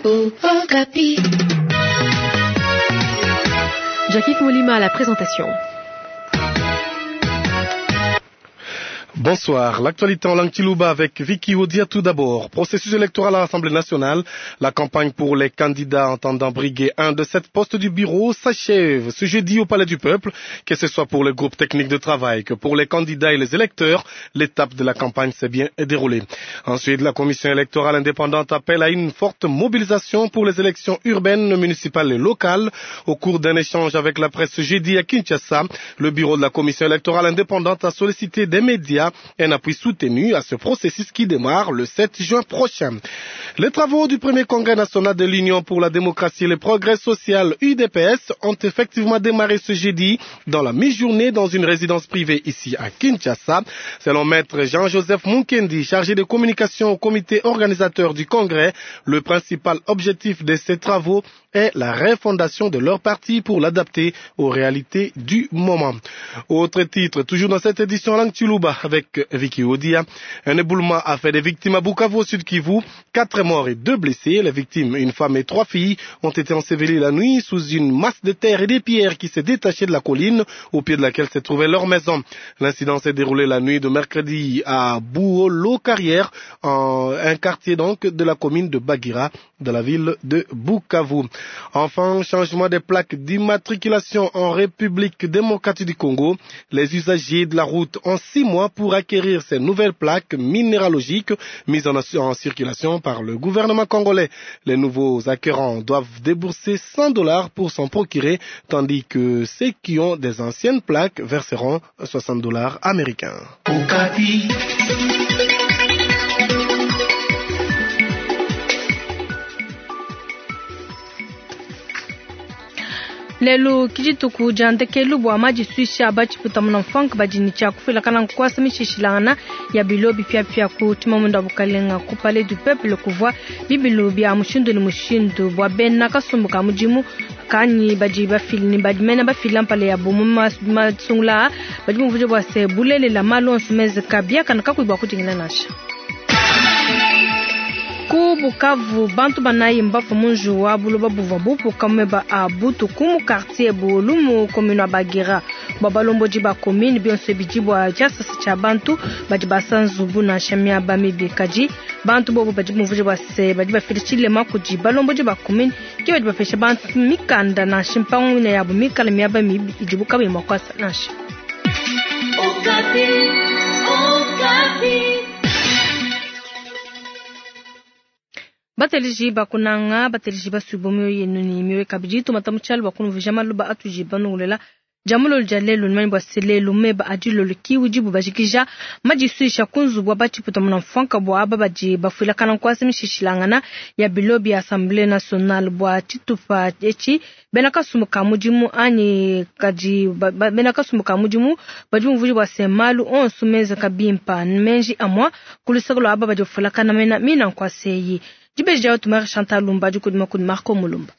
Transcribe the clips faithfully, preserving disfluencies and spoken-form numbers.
Okapi. Jackie Moulima à la présentation. Bonsoir. L'actualité en langue Tilouba avec Vicky Odia tout d'abord. Processus électoral à l'Assemblée nationale. La campagne pour les candidats entendant briguer un de sept postes du bureau s'achève ce jeudi au Palais du Peuple. Que ce soit pour le groupe technique de travail que pour les candidats et les électeurs, l'étape de la campagne s'est bien déroulée. Ensuite, la commission électorale indépendante appelle à une forte mobilisation pour les élections urbaines, municipales et locales. Au cours d'un échange avec la presse jeudi à Kinshasa, le bureau de la commission électorale indépendante a sollicité des médias un appui soutenu à ce processus qui démarre le sept juin prochain. Les travaux du premier congrès national de l'Union pour la démocratie et le progrès social U D P S ont effectivement démarré ce jeudi dans la mi-journée dans une résidence privée ici à Kinshasa. Selon maître Jean-Joseph Munkendi, chargé de communication au comité organisateur du congrès, le principal objectif de ces travaux est la refondation de leur parti pour l'adapter aux réalités du moment. Autre titre, toujours dans cette édition langue Tshiluba avec Vicky Odia, un éboulement a fait des victimes à Bukavu au sud Kivu, quatre morts et deux blessés. Les victimes, une femme et trois filles, ont été ensevelies la nuit sous une masse de terre et des pierres qui s'est détachée de la colline au pied de laquelle se trouvait leur maison. L'incident s'est déroulé la nuit de mercredi à Bouolo-Carrière, en un quartier donc de la commune de Bagira, de la ville de Bukavu. Enfin, changement des plaques d'immatriculation en République démocratique du Congo. Les usagers de la route ont six mois pour acquérir ces nouvelles plaques minéralogiques mises en, en circulation par le gouvernement congolais. Les nouveaux acquérants doivent débourser cent dollars pour s'en procurer, tandis que ceux qui ont des anciennes plaques verseront soixante dollars américains. Okapi. Lelo kijituku jandekelu bwa majiswisha bachiputa muna mfanka bajini cha kufila kana nkwasa mishishilana ya bilo bipya pya ku tumamunda bukalenga ku Palais du Peuple kuvwa bibilo bya mushindu ni mushindu bwa bena kasumbuka mujimu kanyi baji bafili ni baji mena bafila mpale ya bomu masungula baji muvuje bwa se bulele la malonso meze kabia kana kakuibwa kujingina nasha. Ku Bukavu bantu banayi mbafu munju wa buloba buvwa bupu kamweba a butu kumu quartier bolumu commune Bagira babalomboji ba commune bionse bijibwa jasasa cha bantu badi basanzubu na shamia ba mibikaji bantu bobo badi muvuje bwa se badi bafilichile makuji balomboji ba commune ki badi bafesha bantu mikanda na shimpangu na yabu mikala miaba mibi ijibuka bimakwasa nasha. Okapi, Okapi. Bateliji bakunanga bateliji basubomi yenu ni miwe kabidi tomata muchalo bakunu vijama luba atuji banungulela jamulo jalelo nimani bwa selelo meba adilo kiwu jibu bajikija majiswisha kunzu bwa bachiputa muna mfanka bwa aba baji bafuila kana nkwasi mishishilangana ya bilobi ya Assemblée nationale bwa chitupa echi bena kasumuka mujimu ani kaji ba, ba, bena kasumuka mujimu baji mvuji bwa semalu onsu meza kabimpa menji amwa kulisakolo aba baji bafuila kana mena mina nkwasi Jibeji jao tumare Chantal Lumba du kudima kud Marco Mulumba.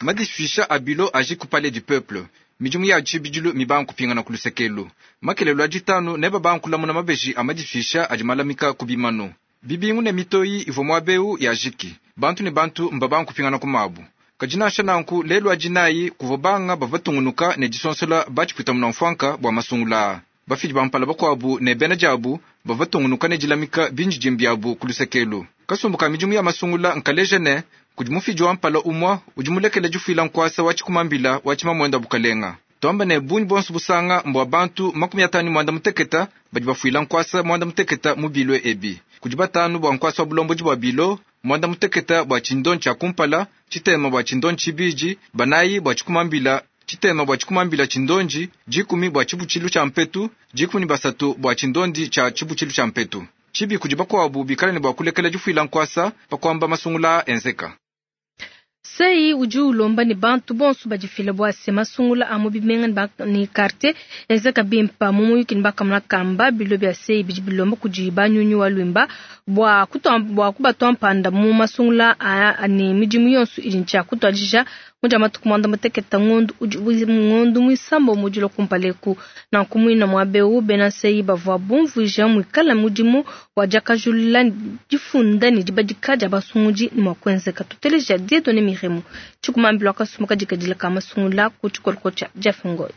Madiswisha abilo aji ku Palais du Peuple. Mijumu ya chibijilu mibanku pingana kulusekelu. Makelelo ajitanu neba banku lamuna mabeji amadiswisha ajimalamika kubimano. Bibingu ne mitoyi ivo mwabeu ya jiki. Bantu ne bantu mbabanku pingana kumabu. Kajina shananku lelo ajinayi kuvobanga bavatungunuka ne jisonsola bachiputa muna mfwanka bwa masungula. Bafiji bampala bakwabu ne bena jabu bavatungunuka ne jilamika binji jimbiabu kulusekelu. Kasumbuka mijumu ya masungula nkaleje ne kujimufiji wa mpala umwa ujimulekele jufila nkwasa wachikumambila wachimamwenda bukalenga. Twamba ne bunyi bonso busanga mbwa bantu makumi atano mwanda muteketa badi bafuila nkwasa mwanda muteketa mubilwe ebi. Kujibatanu bwa nkwasa wa bulomboji bwa bilo mwanda muteketa bwa chindon cha kumpala chitema bwa chindon chibiji banayi bwa chikumambila chitema bwa chikumambila chindonji jikumi bwa chibuchilu cha mpetu jikumi basatu bwa chindondi cha chibuchilu cha mpetu. Chibi kujiba kwabu bikala ni bwa kulekela jufuila nkwasa pakwamba masungula enzeka. Sei udi ulomba ne bantu bonso badifile bua se masungula a mu bimenga ne quartier enzeka bimpa mu muyuki ne bakamuna kamba bilo bia sei bidi bilomba kudi banyunyu wa lwimba bua kutua bua kubatua mpanda mu masungula a ne midimu yonso idi ntshia kutuadija muja matuku mwanda muteketa ngondu udi ngondu muisambo mudilo kumpaleku na kumwina mwabeu bena sei bavua bumvuija mwikala mudimu wa jakajulula difunda ne dibadika dia basungudi ni mwa kuenzeka tuteleja Dieudonné Miremu chikumambilo akasumuka dikadila kama sungula ku tshikoloko tsha Jeff Ngoy.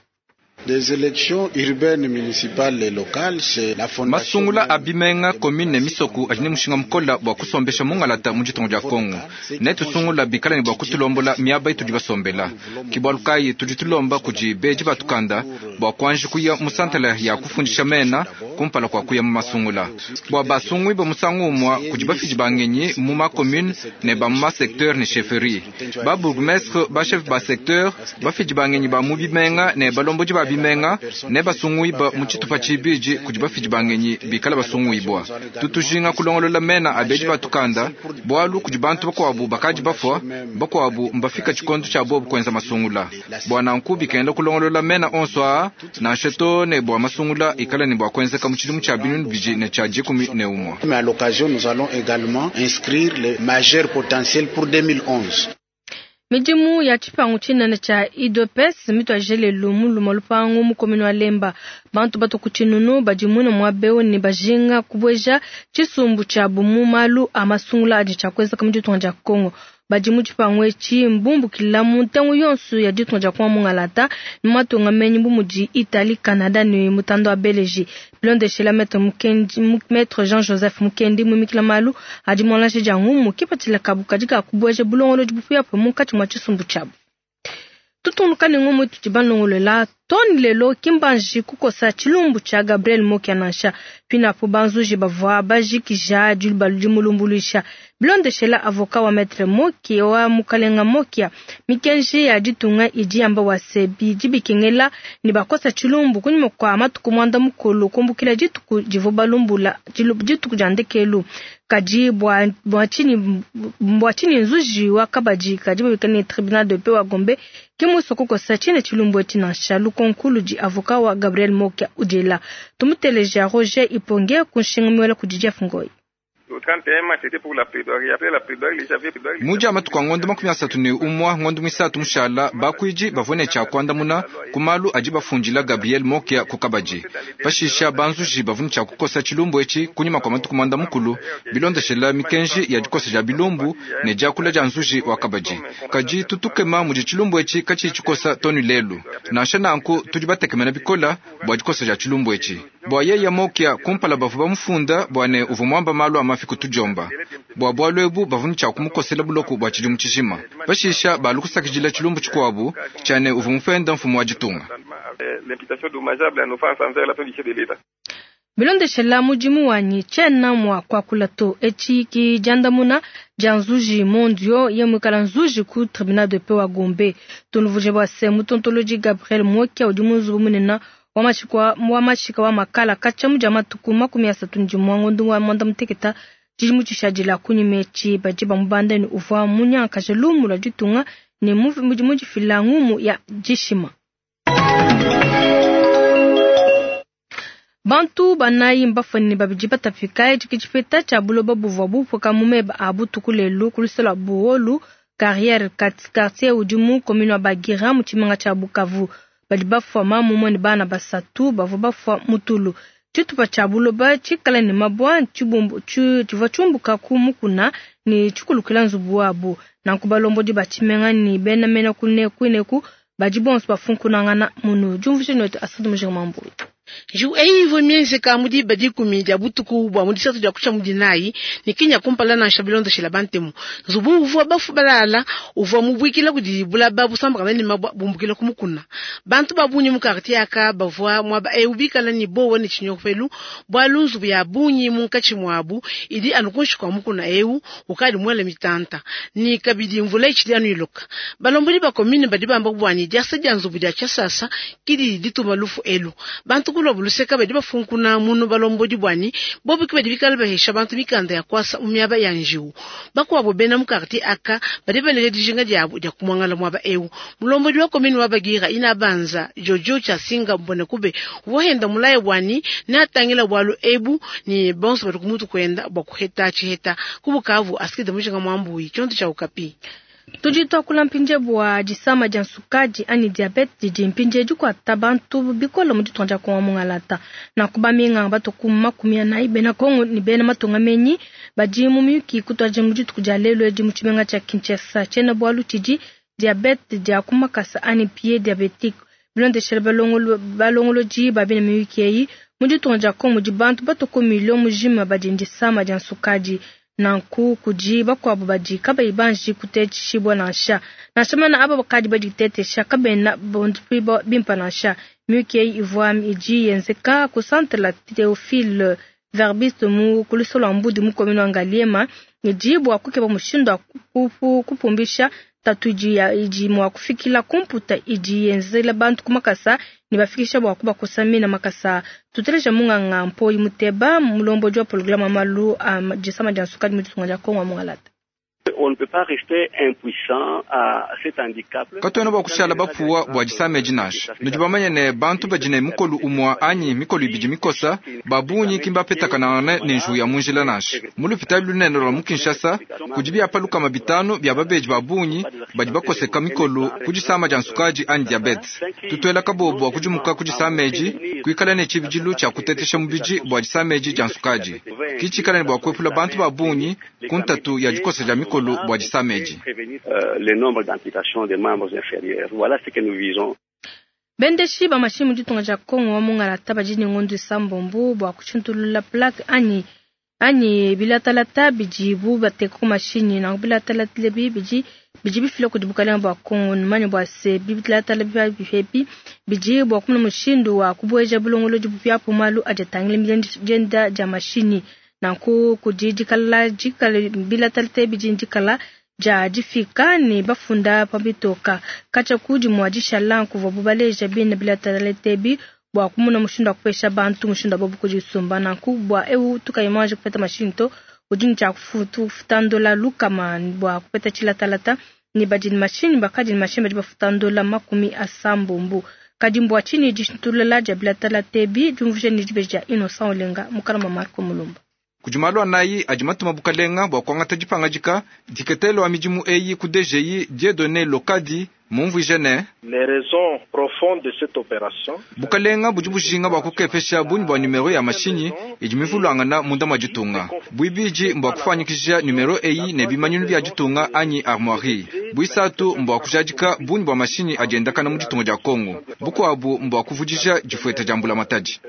Des élections urbaines, municipales et locales, c'est la fondation. Masungula abimenga commune misoku ajine mushinga mkola bwa kusombesha mungalata mu ditongo dia Kongo. Netu sungula bikala ne bwa kutulombola miaba itu dibasombela. Kibwalukai tudi tulomba kudi beji batukanda bwa kuanji kuya musantala ya kufundisha mena kumpala kwa kuya mu masungula. Bwa basungwi ba musangu umwa kudi bafiji bangenyi mu ma commune ne ba mu ma secteur ne chefferie. Ba bourgmestre ba chef ba secteur bafiji bangenyi ba mu bimenga ne balomboji ba bimenga ne basungwiba mu tshitupa tshibidi kudi bafidi bangenyi bikala basungwibwa tutujinga kulongolola mena abeji batukanda bwalu kudi bantu bakwabu bakadi bafwa bakwabu mbafika tshikondo tshia bobu kwenza masungula bwa nanku bikenda kulongolola mena onso aa nansha ne bwa masungula ikala ne bwa kwenzeka mu tshidimu tshia binunu bidi ne tshia dikumi ne umwa. Mais à l'occasion nous allons également inscrire les majeurs potentiels pour deux mille onze. Midimu ya tshipangu tshinene tsha I D P S mitwa lelu muluma lupangu mukomino wa Lemba bantu bato kutshinunu badimuna mwabeo ne bajinga kubweja tshisumbu tsha bumu malu a masungula adi tsha kweza mu ditunga dia Kongo badimu tshipangu etshi mbumbukila mu ntengu yonso ya ditunga dia Kongo mungalata matunga menyi bumudi Italie Canada ne mutando wa Belgique bilondeshela maître Mukendi maître Jean-Joseph Mukendi mumikila malu adi mwalashe dia ngumu kipatila kabu kadika kubweja bulongolo dibupuya munkatshi mwa tshisumbu tshabu. Tutunduka ne ngumu tudi balongolola toni lelo kimbanji kukosa tshilumbu tsha Gabriel Mokia nansha pinapo banzuji bavua bajikija dilubalu dimulumbuluisha bilondeshela avocat wa maître Mokia wa mukalenga Mokia mikenji ya ditunga idi yamba wa sebi dibikengela ne bakosa tshilumbu kunyuma kwa matuku mwanda mukulu kumbukila dituku divu balumbula dituku dia ndekelu kadi bwa bwa chini bwa chini nzuji wa kabadi kadi babikane tribunal de paix wa Gombe kimuso kukosa chine tshilumbu etshi nansha lukonkulu di avocat wa Gabriel Mokia udela tumuteleja Roger Iponge kunshinga kudi Jeff Ngoy. Muja matuku ngondo makumi asatu ne umwa ngondo misatu mushala bakwiji bavone cha kwandamuna kumalu aji bafundila Gabriel Mokia kukabaji pashisha banzuji bavune cha kukosa tshilumbu etshi kunyuma kwa matuku mwanda mukulu bilondeshela mikenji ya dikosa ja bilumbu ne jakula ja nzuji wa kabaji kaji tutukema muji tshilumbu etshi kachi tshikosa tonu lelu nansha nanku tudi batekemena bikola bwa dikosa ja tshilumbu etshi bwa yeya Mokia kumpala bavu bamufunda bwa ne uvu mwamba malu amafi kutujomba bwa bwalu ebu bavuni cha kumukosela buloku bwa tshidimu tshijima pashisha balukusakidila tshilumbu tshikuabu tshane uvu mufenda mfumu wa ditunga. Bilondeshela mudimu wanyi tshena mwa kwakula to etshi ki diandamuna dia nzuji mondio ye mwikala nzuji ku tribunal de paix wa Gombe tunuvuje bwa se mutontoloji Gabriel Mokia udi munzubu munena wa mashika wa makala kacha muja matuku makumi asatu ndimwa ngondu wa mwanda muteketa tshidimu tshishadila kunyima etshi badi bamubanda ne uvua munyankaje lumu lua ditunga ne mudifila ngumu ya dishima. Bantu banayi mbafane babidi batafika etshi tshipeta tshia buloba buvua bupuka mu meba a butuku lelu ku luseke lua Buholu carrière quartier udi mu commune wa Bagira mu tshimenga tshia Bukavu. Badi bafua mamu ne bana basatu bavua bafua mutulu tshitupa tshia buloba tshikala ne mabwa tshibumbu tshivua tshiumbuka ku mukuna ne tshikulukila nzubu wabu nanku balombodi ba tshimenga ne bena mena kuneku ineku badi bonso bafunkunangana munu diumvuija netu asadu mujinga mambuyi. Ju eyi ivo mienzeka mudi badikumi dia butuku bwa mudisatu dia kucha mudinayi ni kinya kumpala na shabilonda shila bantemu nzubu uvua bafu balala uvua mubwikila kudi bulaba busambakana ne mabwa bumbukila kumukuna bantu babunyi mu quartier aka bavua mwaba e ubikala ni bowa ni chinyopelu bwalu nzubu ya bunyi munkachi mwabu idi anukunshi kwa mukuna eu ukali mwele mitanta ni kabidi mvula ichili anu iloka balomboli ba commune badi bamba bwani diasa dia nzubu dia chasasa kidi dituma lufu elu bantu Bantu kulwa buluseka badi bafunkuna munu balombodi bwani bobu ki badi bikala bahesha bantu mikanda ya kwasa mu miaba ya njiwu. Bakuabo bena mu quartier aka badi baleja dijinga diabu dia kumwangala mwaba eu. Mulombodi wa komini wa Bagira ina banza Jojo Chasinga mbone kube wahenda mulaye bwani ne atangila bwalu ebu ni bonso badi kumutu kwenda bwa kuheta chiheta kubukavu asikide mujinga mwambuyi chonto cha Okapi. Tudi twakula mpinje bwa disama dia nsukadi ani diabete didi mpinje dikuata bantu bikola mu ditunga dia Kongo mungalata na kubaminga batu makumi anayi bena Kongo ni bena matunga menyi badi mu miyuki kutuadija mu dituku dia lelu edi mu tshimenga tshia Kinshasa. Tshiena bualu tshidi diabete dia kumakasa ani pied diabetique bilondeshela balongolodi ba bena miyuki eyi mu ditunga dia Kongo mudi bantu batu ku milio mujima badi disama dia nsukadi. Nanku kudi bakuabu badi kabayi banji kutetshibua nansha nansha mana aba bakadi baditetesha kabena bondipi bimpa nansha. Miyuki eyi ivua idi yenzeka ku centre la Théophile Verbiste mu kulusolo lua Mbudi mu commune wa Ngaliema idi bua kukeba mushindu wa kupumbisha tatu idi mua kufikila kumputa idi yenzela bantu kumakasa ne bafikisha bua kubakosa mina makasa. Tuteleja munganga Mpoyi Muteba mulombodi wa programme malu a disama dia nsukadi mu ditunga dia Kongo mungalata. On ne peut pas rester impuissant à cet handicap. Katwena bwa kushala bapuwa bwa disama edi nansha. Nudi bamanye ne bantu badi ne mukolu umwa anyi mikolu ibidi mikosa babunyi kimbapetakana ne nju ya munjila nansha. Mu lupitali lunene lwa mu Kinshasa kudi byapa lukama bitanu bya babeji babunyi badi bakoseka mikolu ku disama dia nsukadi anyi diabete. Tutwela kabobo bwa kudimuka ku disama edi kuikala ne tshibidilu tshia kutetesha mubidi bwa disama edi dia nsukadi. Kitshikala ne bwa kuepula bantu babunyi ku ntatu ya dikosa dia mikolu bwa disama edi. Le nombre d'amputations des membres inférieurs. Voilà ce que nous visons. Bendeshi ba mashimu mu ditunga dia Kongo wa mungalata badi ne ngondo isambombo bwa kushintulula plaque anyi anyi bilatalata bidibu bateka ku mashinyi nanku bilatalata lebi bidi bidi bifila kudi bukalenga bua Kongo numanye bua se bilatalata bipepi bidi bua kumona mushindu wa kubueja bulongolodi bupyapu malu adi atangila dienda dia mashinyi. Nanku kudi dikala dikala bilatalata bidi dikala dia difika ne bafunda pabitoka kacha kudi mwa dishala nkuvua bubaleja bina bilatalata bi bua kumona mushindu wa kupesha bantu mushindu wa bobu kudisumba. Nanku bua eu tukayimanje kupeta mashinyi to udi ne tshia kufuta ndola lukama bua kupeta tshilatalata ne badi ne mashinyi bakadi ne mashinyi badi bafuta ndola makumi asambombo. Kadi mbua tshinyi dishintulula dia bilatalata bi diumvuija ne dibeji dia Innocent Olenga mukala wa Marco Mulumba. Kudi malu anayi adi matuma bukalenga bua kuangata dipangadika diketelo wa midimu eyi ku D G I Dieudonné Lokadi mumvuije ne les raisons profondes de cette opération. Bukalenga budi bujinga bua kukepesha bungi bua numero ya mashinyi idi mivulangana munda mwa ditunga. Buibidi mbua kufanyikisha numero eyi ne bimanyinu bia ditunga anyi armoirie. Buisatu mbua kujadika bungi bua mashinyi adi endakana mu ditunga dia Kongo. Bukuabu mbua kuvudija difueta dia mbula matadi.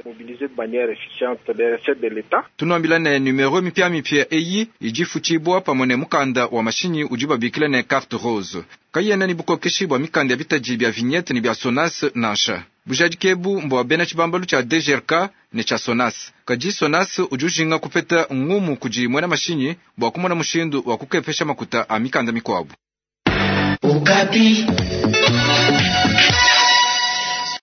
Tunuambila ne numero mipya mipya eyi idi futshibua pamue ne mukanda wa mashinyi udi babikila ne carte rose. Kayena ni bukokeshi bwa mikanda ya bitaji bya vignette ni bya Sonas nansha. Bujadikebu mbwa bena tshibambalu tshia D G R K ne tshia Sonas. Kadi Sonas udi ujinga kupeta ngumu kudi mwena mashinyi bwa kumona mushindu wa kukepesha makuta a mikanda mikwabu. Okapi.